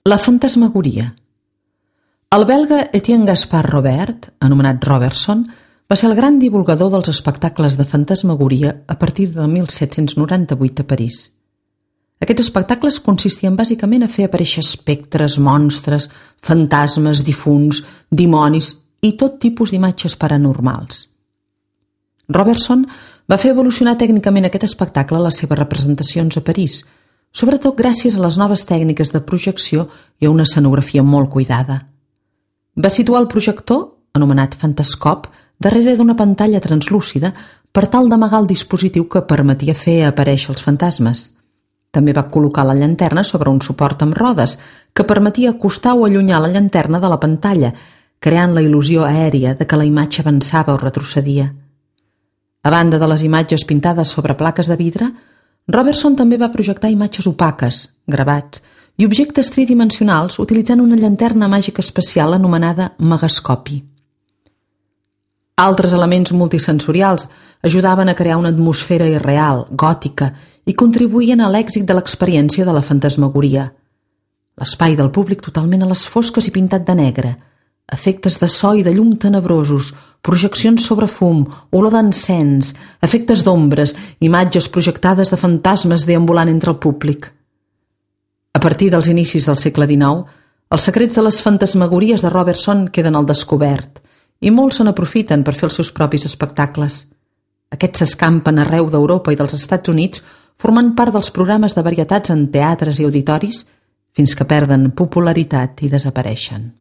La fantasmagoria. El belga Etienne Gaspard Robert, anomenat Robertson, va ser el gran divulgador dels espectacles de fantasmagoria a partir del 1798 a París. Aquests espectacles consistien bàsicament a fer aparèixer espectres, monstres, fantasmes, difunts, dimonis i tot tipus d'imatges paranormals. Robertson va fer evolucionar tècnicament aquest espectacle a les seves representacions a París, sobretot gràcies a les noves tècniques de projecció i a una escenografia molt cuidada. Va situar el projector, anomenat fantascop, darrere d'una pantalla translúcida per tal d'amagar el dispositiu que permetia fer aparèixer els fantasmes. També va col·locar la llanterna sobre un suport amb rodes que permetia acostar o allunyar la llanterna de la pantalla, creant la il·lusió aèria de que la imatge avançava o retrocedia. A banda de les imatges pintades sobre plaques de vidre, Robertson també va projectar imatges opaques, gravats i objectes tridimensionals utilitzant una llanterna màgica especial anomenada megascopi. Altres elements multisensorials ajudaven a crear una atmosfera irreal, gòtica, i contribuïen a l'èxit de l'experiència de la fantasmagoria. L'espai del públic totalment a les fosques i pintat de negre, efectes de so i de llum tenebrosos, projeccions sobre fum, olor d'encens, efectes d'ombres, imatges projectades de fantasmes deambulant entre el públic. A partir dels inicis del segle XIX, els secrets de les fantasmagories de Robertson queden al descobert i molts se n'aprofiten per fer els seus propis espectacles. Aquests s'escampen arreu d'Europa i dels Estats Units formant part dels programes de varietats en teatres i auditoris fins que perden popularitat i desapareixen.